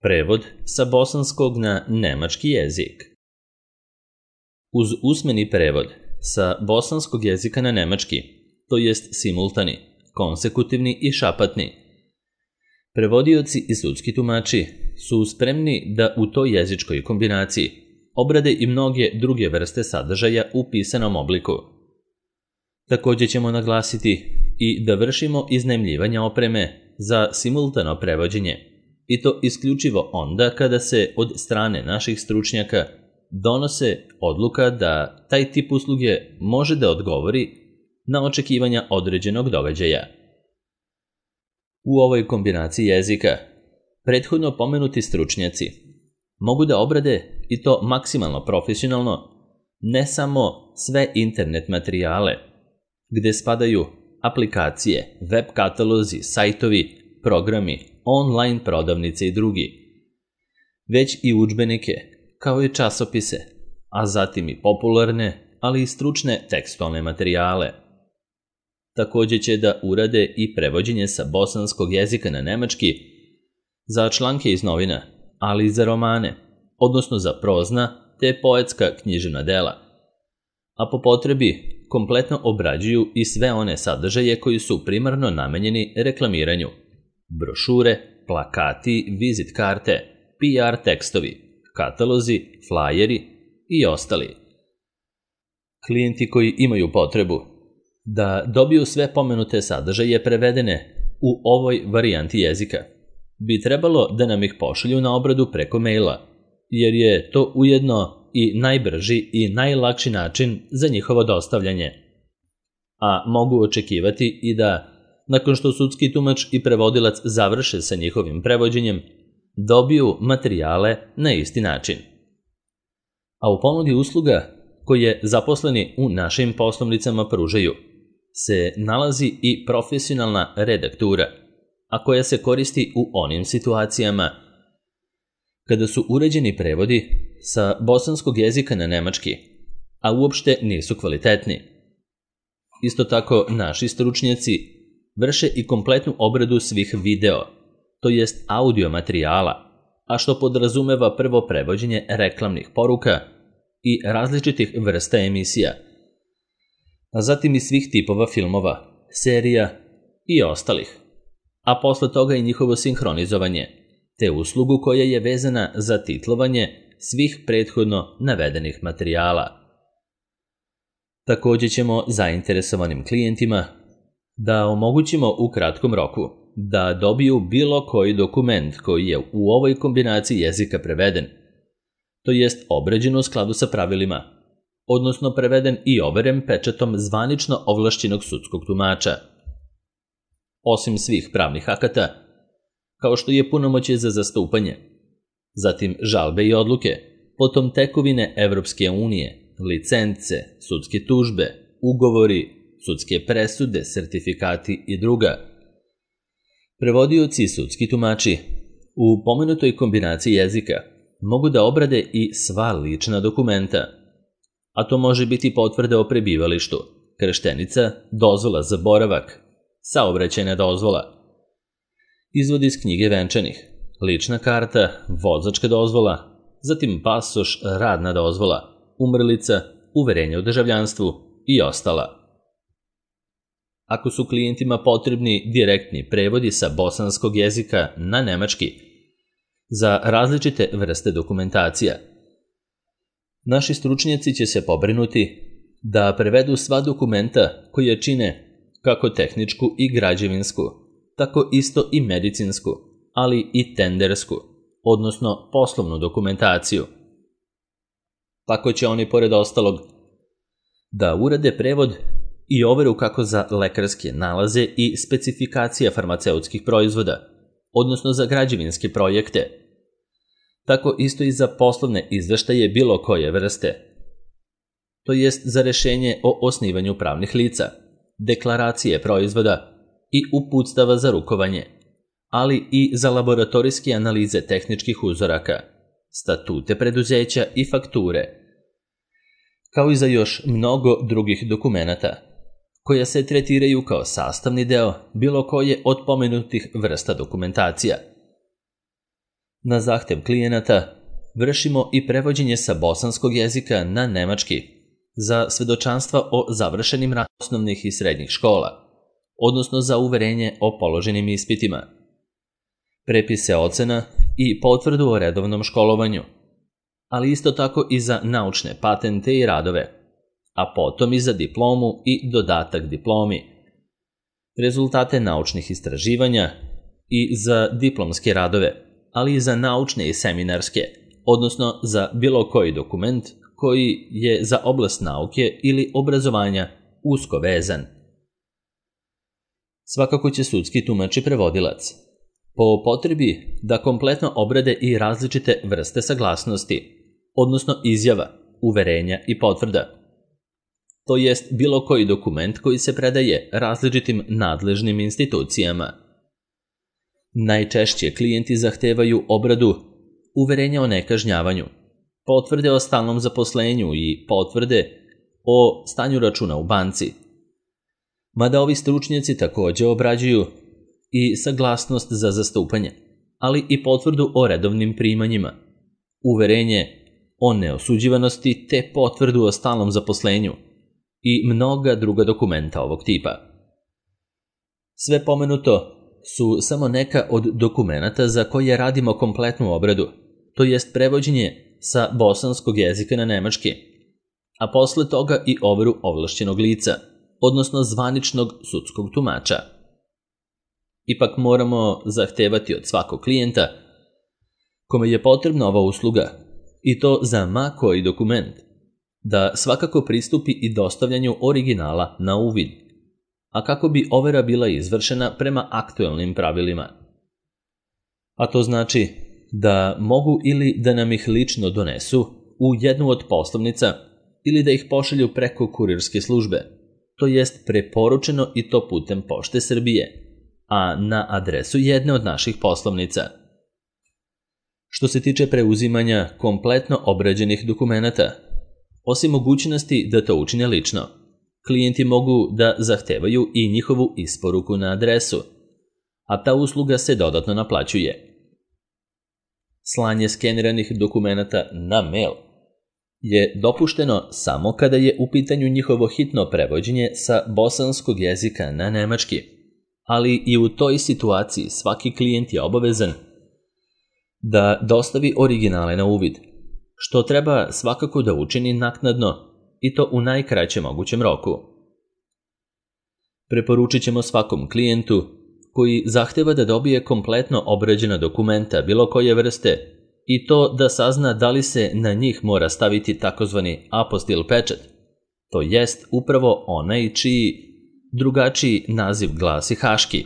Prevod sa bosanskog na nemački jezik. Uz usmeni prevod sa bosanskog jezika na nemački, to jest simultani, konsekutivni i šapatni, prevodioci i sudski tumači su spremni da u toj jezičkoj kombinaciji obrade i mnoge druge vrste sadržaja u pisanom obliku. Također ćemo naglasiti i da vršimo iznajmljivanje opreme za simultano prevođenje, i to isključivo onda kada se od strane naših stručnjaka donose odluka da taj tip usluge može da odgovori na očekivanja određenog događaja. U ovoj kombinaciji jezika prethodno pomenuti stručnjaci mogu da obrade, i to maksimalno profesionalno, ne samo sve internet materijale, gde spadaju aplikacije, web katalozi, sajtovi, programi, online prodavnice i drugi, već i udžbenike, kao i časopise, a zatim i popularne, ali i stručne tekstualne materijale. Također će da urade i prevođenje sa bosanskog jezika na nemački za članke iz novina, ali i za romane, odnosno za prozna te poetska književna dela, a po potrebi kompletno obrađuju i sve one sadržaje koji su primarno namenjeni reklamiranju: brošure, plakati, vizit karte, PR tekstovi, katalozi, flajeri i ostali. Klijenti koji imaju potrebu da dobiju sve pomenute sadržaje prevedene u ovoj varijanti jezika bi trebalo da nam ih pošalju na obradu preko maila, jer je to ujedno i najbrži i najlakši način za njihovo dostavljanje. A mogu očekivati i da, nakon što sudski tumač i prevodilac završe sa njihovim prevođenjem, dobiju materijale na isti način. A u ponudi usluga koje zaposleni u našim poslovnicama pružaju se nalazi i profesionalna redaktura, a koja se koristi u onim situacijama kada su uređeni prevodi sa bosanskog jezika na nemački, a uopšte nisu kvalitetni. Isto tako, naši stručnjaci vrše i kompletnu obradu svih video, to jest audio materijala, a što podrazumeva prvo prevođenje reklamnih poruka i različitih vrsta emisija, a zatim i svih tipova filmova, serija i ostalih, a posle toga i njihovo sinhronizovanje, te uslugu koja je vezana za titlovanje svih prethodno navedenih materijala. Također ćemo zainteresovanim klijentima da omogućimo u kratkom roku da dobiju bilo koji dokument koji je u ovoj kombinaciji jezika preveden, to jest obrađen u skladu sa pravilima, odnosno preveden i overen pečatom zvanično ovlašćenog sudskog tumača. Osim svih pravnih akata, kao što je punomoćje za zastupanje, zatim žalbe i odluke, potom tekovine Evropske unije, licence, sudske tužbe, ugovori, sudske presude, sertifikati i druga. Prevodioci i sudski tumači u pomenutoj kombinaciji jezika mogu da obrade i sva lična dokumenta, a to može biti potvrda o prebivalištu, krštenica, dozvola za boravak, saobraćajna dozvola, izvod iz knjige venčanih, lična karta, vozačka dozvola, zatim pasoš, radna dozvola, umrlica, uverenje o državljanstvu i ostala. Ako su klijentima potrebni direktni prevodi sa bosanskog jezika na nemački za različite vrste dokumentacija, naši stručnjaci će se pobrinuti da prevedu sva dokumenta koje čine kako tehničku i građevinsku, tako isto i medicinsku, ali i tendersku, odnosno poslovnu dokumentaciju. Tako će oni, pored ostalog, da urade prevod i overu kako za lekarske nalaze i specifikacija farmaceutskih proizvoda, odnosno za građevinske projekte, tako isto i za poslovne izveštaje bilo koje vrste, to jest za rešenje o osnivanju pravnih lica, deklaracije proizvoda i uputstava za rukovanje, ali i za laboratorijske analize tehničkih uzoraka, statute preduzeća i fakture, kao i za još mnogo drugih dokumenata, koja se tretiraju kao sastavni deo bilo koje od pomenutih vrsta dokumentacija. Na zahtev klijenata vršimo i prevođenje sa bosanskog jezika na nemački za svedočanstva o završenim osnovnih i srednjih škola, odnosno za uverenje o položenim ispitima, prepise ocena i potvrdu o redovnom školovanju, ali isto tako i za naučne patente i radove, a potom i za diplomu i dodatak diplomi, rezultate naučnih istraživanja i za diplomske radove, ali i za naučne i seminarske, odnosno za bilo koji dokument koji je za oblast nauke ili obrazovanja usko vezan. Svakako će sudski tumač i prevodilac po potrebi da kompletno obrade i različite vrste saglasnosti, odnosno izjava, uverenja i potvrda. To jest bilo koji dokument koji se predaje različitim nadležnim institucijama. Najčešće klijenti zahtevaju obradu uverenja o nekažnjavanju, potvrde o stalnom zaposlenju i potvrde o stanju računa u banci. Mada ovi stručnjaci također obrađuju i saglasnost za zastupanje, ali i potvrdu o redovnim primanjima, uverenje o neosuđivanosti te potvrdu o stalnom zaposlenju i mnoga druga dokumenta ovog tipa. Sve pomenuto su samo neka od dokumenata za koje radimo kompletnu obradu, to jest prevođenje sa bosanskog jezika na nemački, a posle toga i overu ovlašćenog lica, odnosno zvaničnog sudskog tumača. Ipak moramo zahtevati od svakog klijenta kome je potrebna ova usluga, i to za ma koji dokument, da svakako pristupi i dostavljanju originala na uvid, a kako bi overa bila izvršena prema aktuelnim pravilima. A to znači da mogu ili da nam ih lično donesu u jednu od poslovnica ili da ih pošalju preko kurirske službe, to jest preporučeno i to putem Pošte Srbije, a na adresu jedne od naših poslovnica. Što se tiče preuzimanja kompletno obrađenih dokumenata, osim mogućnosti da to učine lično, klijenti mogu da zahtevaju i njihovu isporuku na adresu, a ta usluga se dodatno naplaćuje. Slanje skeniranih dokumenata na mail je dopušteno samo kada je u pitanju njihovo hitno prevođenje sa bosanskog jezika na nemački, ali i u toj situaciji svaki klijent je obavezan da dostavi originale na uvid, što treba svakako da učini naknadno i to u najkraćem mogućem roku. Preporučit ćemo svakom klijentu koji zahteva da dobije kompletno obrađena dokumenta bilo koje vrste i to da sazna da li se na njih mora staviti takozvani apostil pečat, to jest upravo onaj čiji drugačiji naziv glasi haški,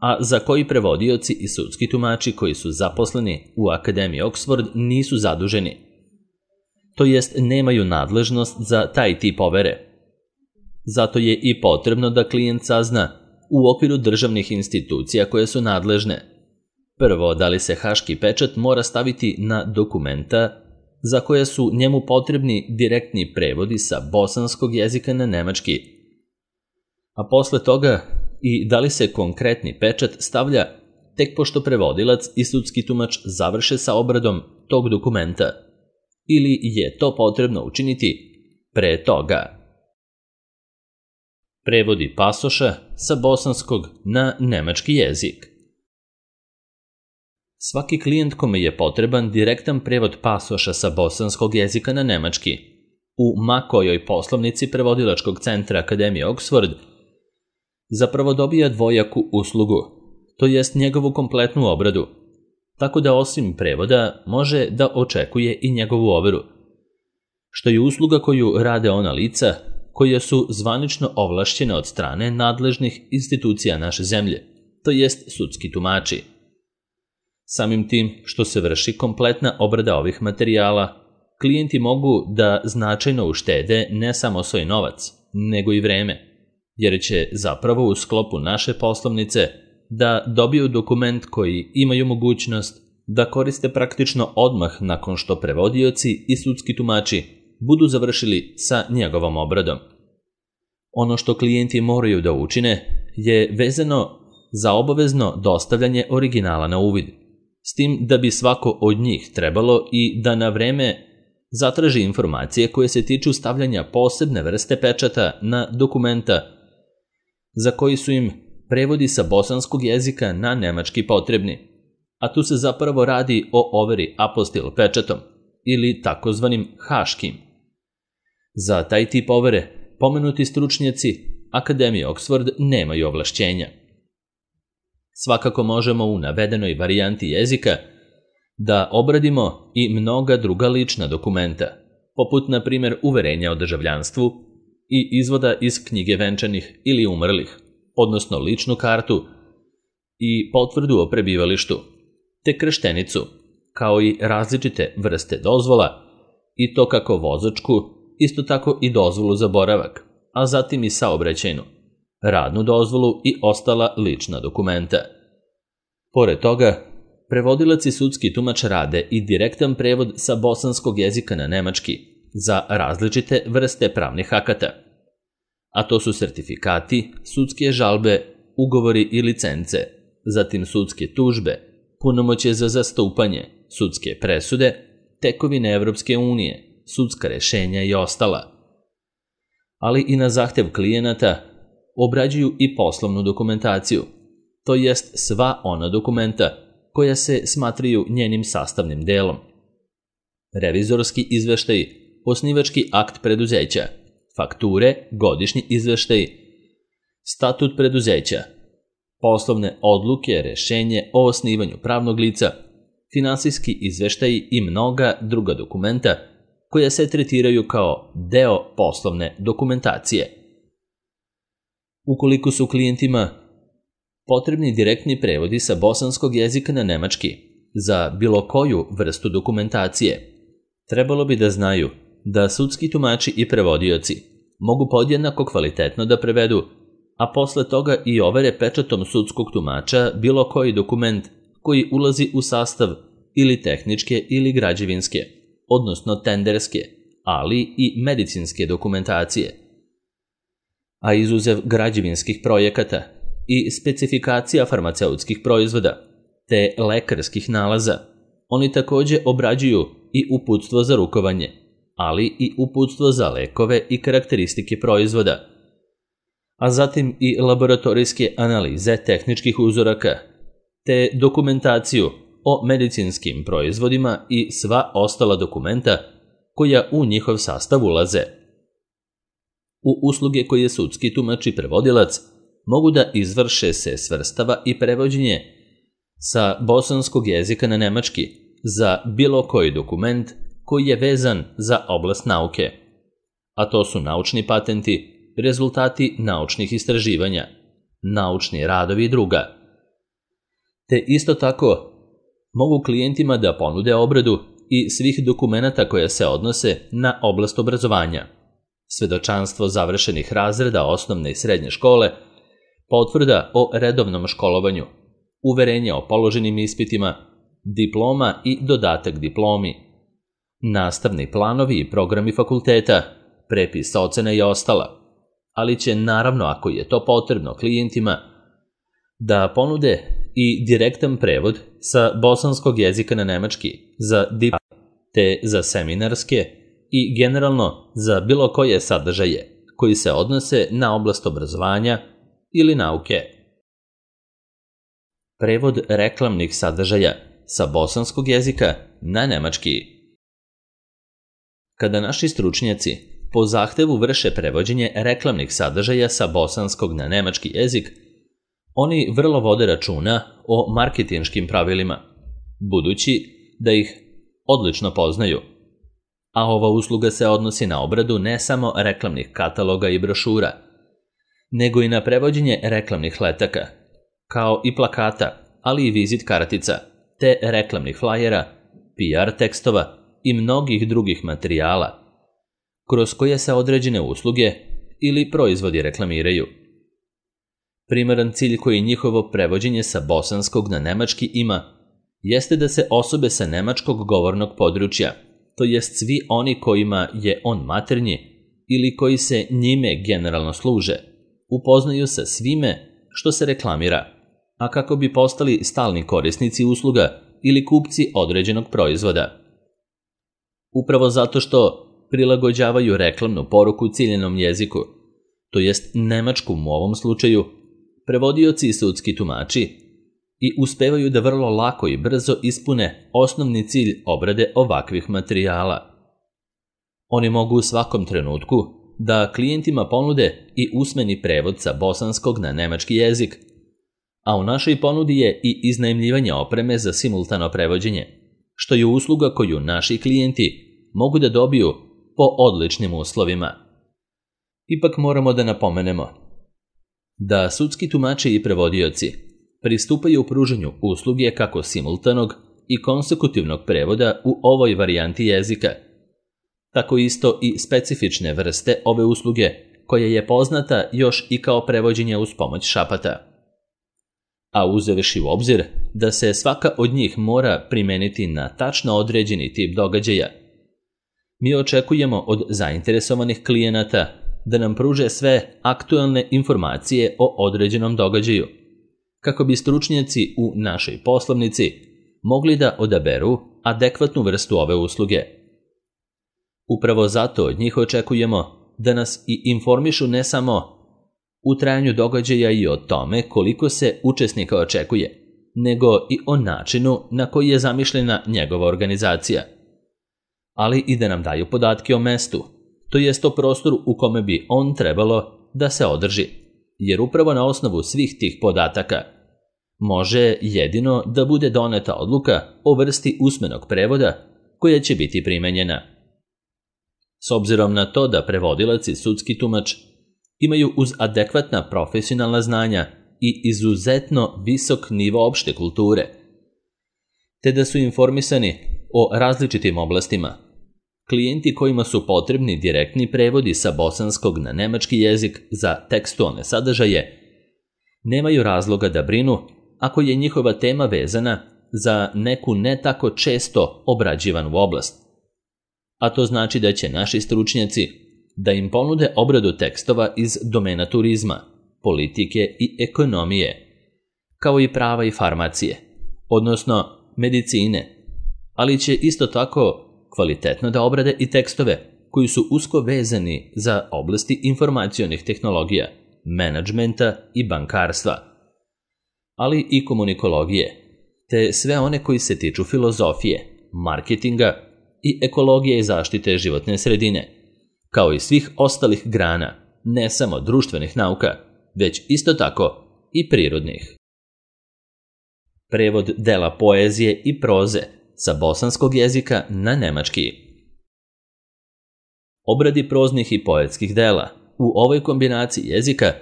a za koji prevodioci i sudski tumači koji su zaposleni u Akademiji Oxford nisu zaduženi, to jest nemaju nadležnost za taj tip overe. Zato je i potrebno da klijent sazna u okviru državnih institucija koje su nadležne. Prvo, da li se haški pečat mora staviti na dokumenta za koje su njemu potrebni direktni prevodi sa bosanskog jezika na nemački, a posle toga i da li se konkretni pečat stavlja tek pošto prevodilac i sudski tumač završe sa obradom tog dokumenta, ili je to potrebno učiniti pre toga. Prevodi pasoša sa bosanskog na nemački jezik. Svaki klijent kome je potreban direktan prevod pasoša sa bosanskog jezika na nemački u ma kojoj poslovnici prevodilačkog centra Akademije Oxford zapravo dobija dvojaku uslugu, to jest njegovu kompletnu obradu, tako da osim prevoda može da očekuje i njegovu overu, što je usluga koju rade ona lica koja su zvanično ovlašćene od strane nadležnih institucija naše zemlje, to jest sudski tumači. Samim tim što se vrši kompletna obrada ovih materijala, klijenti mogu da značajno uštede ne samo svoj novac, nego i vreme, jer će zapravo u sklopu naše poslovnice da dobiju dokument koji imaju mogućnost da koriste praktično odmah nakon što prevodioci i sudski tumači budu završili sa njegovom obradom. Ono što klijenti moraju da učine je vezano za obavezno dostavljanje originala na uvid, s tim da bi svako od njih trebalo i da na vreme zatraži informacije koje se tiču stavljanja posebne vrste pečata na dokumenta za koji su im prevodi sa bosanskog jezika na nemački potrebni, a tu se zapravo radi o overi apostil pečatom ili takozvanim haškim. Za taj tip overe pomenuti stručnjaci Akademije Oxford nemaju ovlašćenja. Svakako možemo u navedenoj varijanti jezika da obradimo i mnoga druga lična dokumenta, poput na primjer uverenja o državljanstvu i izvoda iz knjige venčanih ili umrlih, odnosno ličnu kartu i potvrdu o prebivalištu, te krštenicu, kao i različite vrste dozvola, i to kako vozačku, isto tako i dozvolu za boravak, a zatim i saobraćajnu, radnu dozvolu i ostala lična dokumenta. Pored toga, prevodilac i sudski tumač rade i direktan prevod sa bosanskog jezika na nemački za različite vrste pravnih akata, a to su sertifikati, sudske žalbe, ugovori i licence, zatim sudske tužbe, punomoćje za zastupanje, sudske presude, tekovine Evropske unije, sudska rešenja i ostala. Ali i na zahtev klijenata obrađuju i poslovnu dokumentaciju, to jest sva ona dokumenta koja se smatraju njenim sastavnim delom. Revizorski izveštaj, osnivački akt preduzeća, fakture, godišnji izveštaj, statut preduzeća, poslovne odluke, rešenje o osnivanju pravnog lica, finansijski izveštaji i mnoga druga dokumenta koja se tretiraju kao deo poslovne dokumentacije. Ukoliko su klijentima potrebni direktni prevodi sa bosanskog jezika na nemački za bilo koju vrstu dokumentacije, trebalo bi da znaju da sudski tumači i prevodioci mogu podjednako kvalitetno da prevedu, a posle toga i overe pečatom sudskog tumača bilo koji dokument koji ulazi u sastav ili tehničke ili građevinske, odnosno tenderske, ali i medicinske dokumentacije. A izuzev građevinskih projekata i specifikacija farmaceutskih proizvoda te lekarskih nalaza, oni takođe obrađuju i uputstvo za rukovanje, ali i uputstvo za lekove i karakteristike proizvoda, a zatim i laboratorijske analize tehničkih uzoraka, te dokumentaciju o medicinskim proizvodima i sva ostala dokumenta koja u njihov sastav ulaze. U usluge koje sudski tumač i prevodilac mogu da izvrše se svrstava i prevođenje sa bosanskog jezika na nemački za bilo koji dokument koji je vezan za oblast nauke, a to su naučni patenti, rezultati naučnih istraživanja, naučni radovi i druga. Te isto tako mogu klijentima da ponude obradu i svih dokumenata koja se odnose na oblast obrazovanja, svedočanstvo završenih razreda osnovne i srednje škole, potvrda o redovnom školovanju, uverenje o položenim ispitima, diploma i dodatak diplomi, nastavni planovi i programi fakulteta, prepis ocena i ostala, ali će naravno, ako je to potrebno klijentima, da ponude i direktan prevod sa bosanskog jezika na nemački za diplome, te za seminarske i generalno za bilo koje sadržaje koji se odnose na oblast obrazovanja ili nauke. Prevod reklamnih sadržaja sa bosanskog jezika na nemački. Kada naši stručnjaci po zahtevu vrše prevođenje reklamnih sadržaja sa bosanskog na nemački jezik, oni vrlo vode računa o marketinškim pravilima, budući da ih odlično poznaju. A ova usluga se odnosi na obradu ne samo reklamnih kataloga i brošura, nego i na prevođenje reklamnih letaka, kao i plakata, ali i vizit kartica, te reklamnih flajera, PR tekstova i mnogih drugih materijala, kroz koje se određene usluge ili proizvodi reklamiraju. Primaran cilj koji njihovo prevođenje sa bosanskog na nemački ima jeste da se osobe sa nemačkog govornog područja, to jest svi oni kojima je on maternji ili koji se njime generalno služe, upoznaju sa svime što se reklamira, a kako bi postali stalni korisnici usluga ili kupci određenog proizvoda. Upravo zato što prilagođavaju reklamnu poruku ciljanom jeziku, to jest nemačkom u ovom slučaju, prevodioci i sudski tumači i uspevaju da vrlo lako i brzo ispune osnovni cilj obrade ovakvih materijala. Oni mogu u svakom trenutku da klijentima ponude i usmeni prevod sa bosanskog na nemački jezik, a u našoj ponudi je i iznajmljivanje opreme za simultano prevođenje, što je usluga koju naši klijenti mogu da dobiju po odličnim uslovima. Ipak moramo da napomenemo da sudski tumači i prevodioci pristupaju u pružanju usluge kako simultanog i konsekutivnog prevoda u ovoj varijanti jezika, tako isto i specifične vrste ove usluge koja je poznata još i kao prevođenje uz pomoć šapata. A uzevši u obzir da se svaka od njih mora primeniti na tačno određeni tip događaja, mi očekujemo od zainteresovanih klijenata da nam pruže sve aktuelne informacije o određenom događaju, kako bi stručnjaci u našoj poslovnici mogli da odaberu adekvatnu vrstu ove usluge. Upravo zato od njih očekujemo da nas i informišu ne samo u trajanju događaja i o tome koliko se učesnika očekuje, nego i o načinu na koji je zamišljena njegova organizacija, ali i da nam daju podatke o mestu, to jest o prostoru u kome bi on trebalo da se održi, jer upravo na osnovu svih tih podataka može jedino da bude doneta odluka o vrsti usmenog prevoda koja će biti primenjena. S obzirom na to da prevodilac i sudski tumač imaju uz adekvatna profesionalna znanja i izuzetno visok nivo opšte kulture, te da su informisani o različitim oblastima, klijenti kojima su potrebni direktni prevodi sa bosanskog na nemački jezik za tekstualne sadržaje nemaju razloga da brinu ako je njihova tema vezana za neku ne tako često obrađivanu oblast. A to znači da će naši stručnjaci da im ponude obradu tekstova iz domena turizma, politike i ekonomije, kao i prava i farmacije, odnosno medicine, ali će isto tako kvalitetno da obrade i tekstove koji su usko vezani za oblasti informacionih tehnologija, menadžmenta i bankarstva, ali i komunikologije, te sve one koji se tiču filozofije, marketinga i ekologije i zaštite životne sredine, kao i svih ostalih grana, ne samo društvenih nauka, već isto tako i prirodnih. Prevod dela poezije i proze sa bosanskog jezika na nemački. Obradi proznih i poetskih dela u ovoj kombinaciji jezika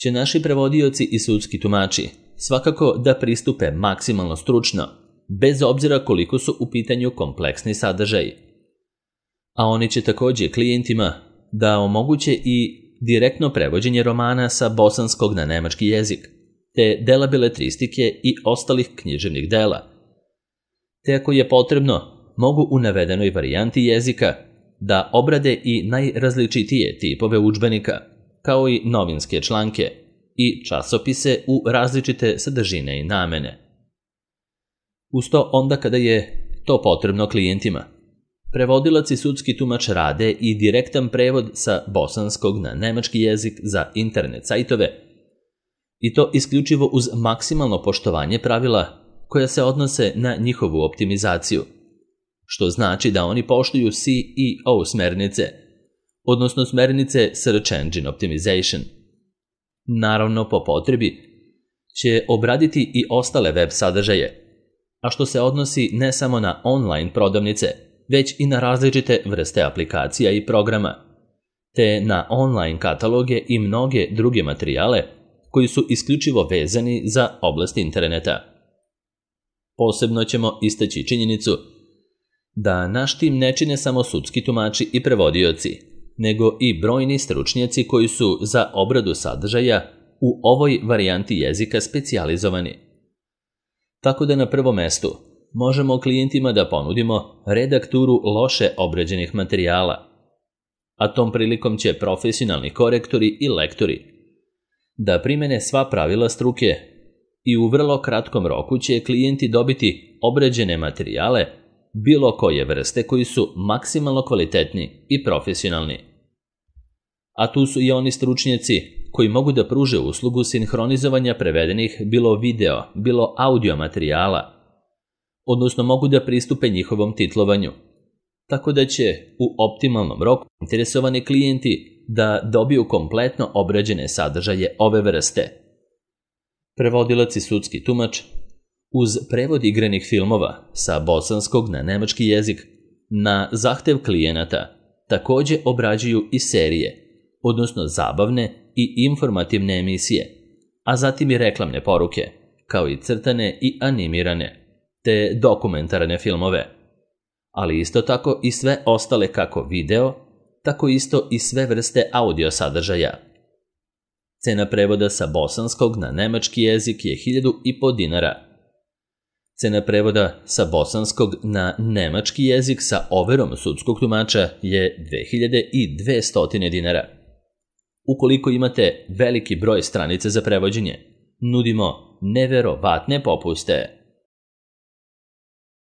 će naši prevodioci i sudski tumači svakako da pristupe maksimalno stručno, bez obzira koliko su u pitanju kompleksni sadržaji. A oni će također klijentima da omoguće i direktno prevođenje romana sa bosanskog na nemački jezik, te dela beletristike i ostalih književnih dela. Te ako je potrebno, mogu u navedenoj varijanti jezika da obrade i najrazličitije tipove udžbenika, kao i novinske članke i časopise u različite sadržine i namene. Uz to onda kada je to potrebno klijentima, prevodilac i sudski tumač rade i direktan prevod sa bosanskog na nemački jezik za internet sajtove, i to isključivo uz maksimalno poštovanje pravila koja se odnose na njihovu optimizaciju, što znači da oni poštuju SEO smernice, odnosno smernice Search Engine Optimization. Naravno, po potrebi će obraditi i ostale web sadržaje, a što se odnosi ne samo na online prodavnice, već i na različite vrste aplikacija i programa, te na online kataloge i mnoge druge materijale koji su isključivo vezani za oblast interneta. Posebno ćemo istaći činjenicu da naš tim ne čine samo sudski tumači i prevodioci, nego i brojni stručnjaci koji su za obradu sadržaja u ovoj varijanti jezika specijalizovani. Tako da na prvom mestu možemo klijentima da ponudimo redakturu loše obrađenih materijala, a tom prilikom će profesionalni korektori i lektori da primene sva pravila struke i u vrlo kratkom roku će klijenti dobiti obrađene materijale bilo koje vrste koji su maksimalno kvalitetni i profesionalni. A tu su i oni stručnjaci koji mogu da pruže uslugu sinhronizovanja prevedenih bilo video, bilo audio materijala, odnosno mogu da pristupe njihovom titlovanju, tako da će u optimalnom roku interesovani klijenti da dobiju kompletno obrađene sadržaje ove vrste. Prevodilac i sudski tumač uz prevod igranih filmova sa bosanskog na nemački jezik na zahtev klijenata takođe obrađuju i serije, odnosno zabavne i informativne emisije, a zatim i reklamne poruke, kao i crtane i animirane, te dokumentarne filmove, ali isto tako i sve ostale kako video, tako isto i sve vrste audio sadržaja. Cena prevoda sa bosanskog na nemački jezik je 1.500 dinara. Cena prevoda sa bosanskog na nemački jezik sa overom sudskog tumača je 2.200 dinara. Ukoliko imate veliki broj stranica za prevođenje, nudimo neverovatne popuste.